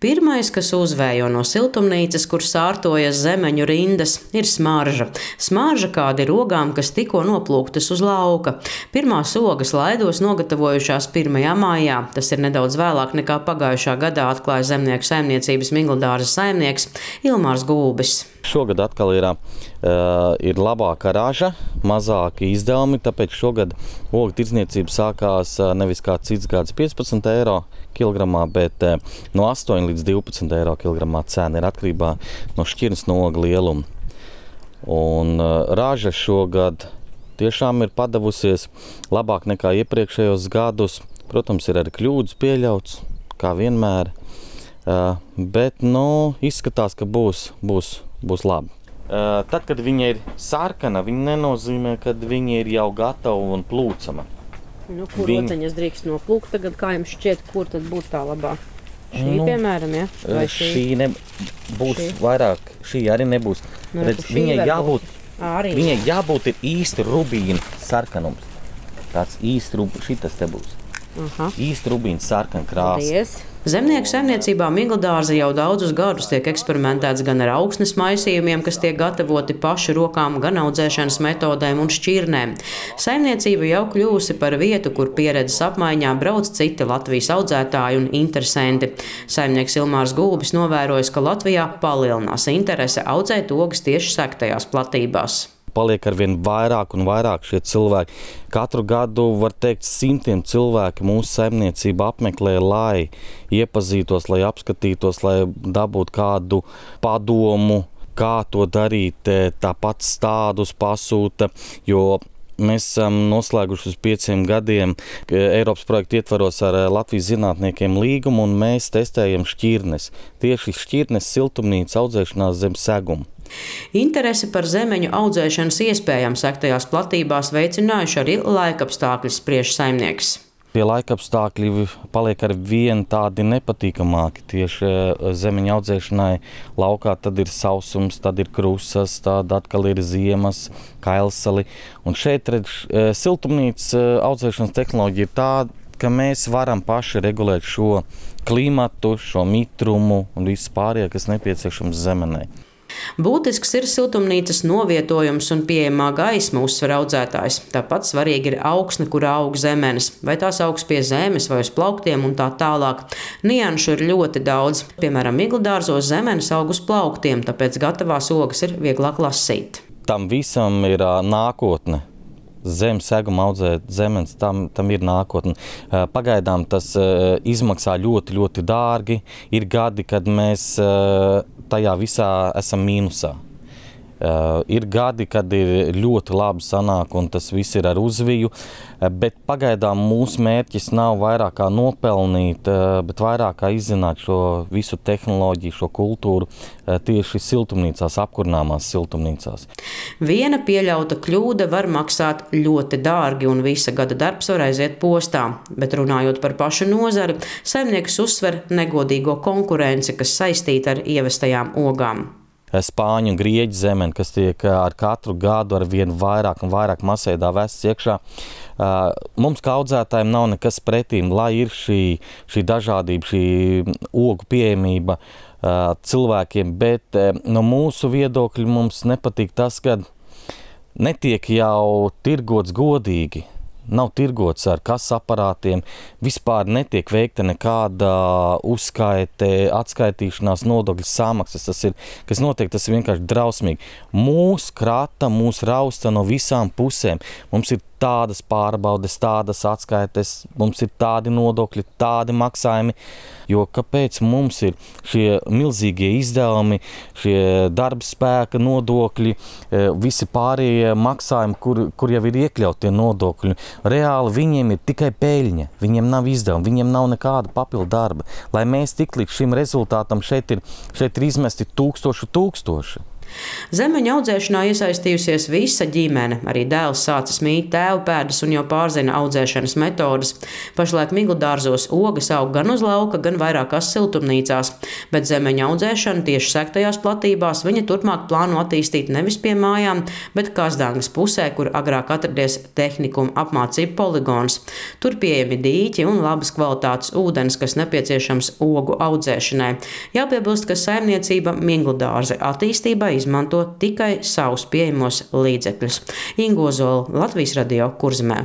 Pirmais, kas uzvējo no siltumnīcas, kur sārtojas zemeņu rindas, ir smarža. Smarža kāda ir ogām, kas tikko noplūktas uz lauka. Pirmās ogas laidos nogatavojušās 1. maijā. Tas ir nedaudz vēlāk nekā pagājušā gadā, atklāja zemnieku saimniecības Migldārzas saimnieks Ilmārs Gulbis. Šogad atkal ir labāka raža, mazāki izdevumi, tāpēc šogad ogu tirdzniecība sākās nevis kā cits gads 15 eiro kilogramā, bet no 8 līdz 12 eiro kilogramā cena ir atkarībā no šķirnes no ogu lieluma. Un raža šogad tiešām ir padavusies labāk nekā iepriekšējos gadus. Protams, ir arī kļūdas pieļauts, kā vienmēr, bet izskatās, ka būs labi. Tad, kad viņa ir sarkana, viņa nenozīmē, ka viņa ir jau gatava un plūcama. Kur oceņas drīkst noplūkt tagad, kā jums šķiet, kur tad būs tā labā? Šī, piemēram, ja? Vai šī nebūs vairāk, šī arī nebūs. Redz, viņai jābūt ir īsti rubīna sarkanums. Tāds īsti šitas te būs. Īsti rubīna sarkana krāsa. Paldies. Zemnieku saimniecībā Migldārza jau daudzus gadus tiek eksperimentēts gan ar augsnes maisījumiem, kas tiek gatavoti pašu rokām, gan audzēšanas metodēm un šķirnēm. Saimniecība jau kļūsi par vietu, kur pieredzes apmaiņā brauc citi Latvijas audzētāji un interesanti. Saimnieks Ilmārs Gulbis novērojis, ka Latvijā palielinās interese audzēt ogas tieši sektajās platībās. Paliek arvien vairāk un vairāk šie cilvēki. Katru gadu, var teikt, simtiem cilvēki mūsu saimniecību apmeklē, lai iepazītos, lai apskatītos, lai dabūtu kādu padomu, kā to darīt, tāpat stādus pasūta, jo mēs esam noslēguši uz 5 gadiem Eiropas projektu ietvaros ar Latvijas zinātniekiem līgumu, un mēs testējam šķirnes. Tieši šķirnes siltumnīca audzēšanās zem seguma. Interesi par zemeņu audzēšanas iespējām sektajās platībās veicinājuši arī laikapstākļi, spriež saimnieks. Tie laikapstākļi paliek ar vien tādi nepatīkamāki tieši zemeņu audzēšanai. Laukā tad ir sausums, tad ir krusas, tad atkal ir ziemas, kailsali. Un šeit siltumnīcas audzēšanas tehnoloģija ir tāda, ka mēs varam paši regulēt šo klimatu, šo mitrumu un visu pārējo, kas nepieciešams zemenei. Būtisks ir siltumnīcas novietojums un pieejamā gaisma, uzsver audzētājs. Tāpat svarīgi ir augsne, kur aug zemenes, vai tās augs pie zemes vai uz plauktiem un tā tālāk. Nianšu ir ļoti daudz. Piemēram, Migldārzos zemenes aug uz plauktiem, tāpēc gatavās ogas ir vieglāk lasīt. Tam visam ir nākotne. Zem seguma audzēt zemenes, tam ir nākotne. Pagaidām tas izmaksā ļoti, ļoti dārgi. Ir gadi, kad mēs tajā visā esam mīnusā. Ir gadi, kad ir ļoti labi sanāk un tas viss ir ar uzviju, bet pagaidām mūsu mērķis nav vairāk kā nopelnīt, bet vairāk kā izzināt šo visu tehnoloģiju, šo kultūru tieši siltumnīcās, apkurināmās siltumnīcās. Viena pieļauta kļūda var maksāt ļoti dārgi un visa gada darbs var aiziet postā, bet runājot par pašu nozari, saimnieks uzsver negodīgo konkurenci, kas saistīta ar ievestajām ogām. Spāņu un grieķu zemeni, kas tiek ar katru gadu ar vien vairāk un vairāk masveidā vests iekšā. Mums kā audzētājiem nav nekas pretīm, lai ir šī dažādība, šī ogu pieejamība cilvēkiem, bet no mūsu viedokļa mums nepatīk tas, ka netiek jau tirgots godīgi. Nav tirgots ar kases aparātiem, vispār netiek veikta nekāda uzskaite, atskaitīšanās, nodokļu samaksas. Kas notiek, tas ir vienkārši drausmīgi. Mūs krata, mūs rausta no visām pusēm. Mums ir tādas pārbaudes, tādas atskaites, mums ir tādi nodokļi, tādi maksājumi. Jo kāpēc mums ir šie milzīgie izdevumi, šie darba spēka nodokļi, visi pārējie maksājumi, kur jau ir iekļauti tie nodokļi. Reāli viņiem ir tikai peļņa, viņiem nav izdevumi, viņiem nav nekāda papildu darba. Lai mēs tik līdz šim rezultātam šeit ir izmesti tūkstoši. Zemeņu audzēšanā iesaistījusies visa ģimene. Arī dēls sācis mīt tēva pēdas un jau pārzina audzēšanas metodes. Pašlaik Migldārzos ogas aug gan uz lauka, gan vairākās siltumnīcās, bet zemeņu audzēšanu tieši sektajās platībās viņa turpmāk plāno attīstīt nevis pie mājām, bet Kazdāngas pusē, kur agrāk atradies tehnikuma apmācību poligons. Tur pieejami dīķi un labas kvalitātes ūdens, kas nepieciešams ogu audzēšanai. Jāpiebilst, ka saimniecība Migldārze attīstībai izmanto tikai savus pieejamos līdzekļus. Inga Ozola, Latvijas Radio, Kurzemē.